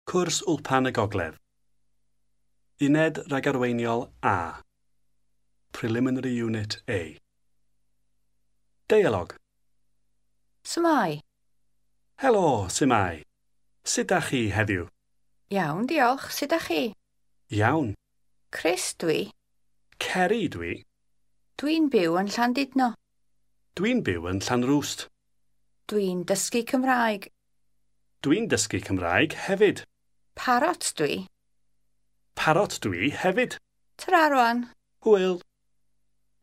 Cwrs Wlpan y Gogledd. Uned Ragarweiniol A. Preliminary Unit A. Deialog. S'mai? Helo, Simai. Sut dach chi heddiw? Iawn, diolch. Sut ydach chi? Iawn. Chris dwi. Ceri dwi. Dwi'n byw yn Llandudno. Dwi'n byw yn Llanrwst. Dwi'n dysgu Cymraeg. Dwi'n dysgu Cymraeg hefyd. Parot dwi. Parot dwi hefyd. Tara rwan. Hwyl.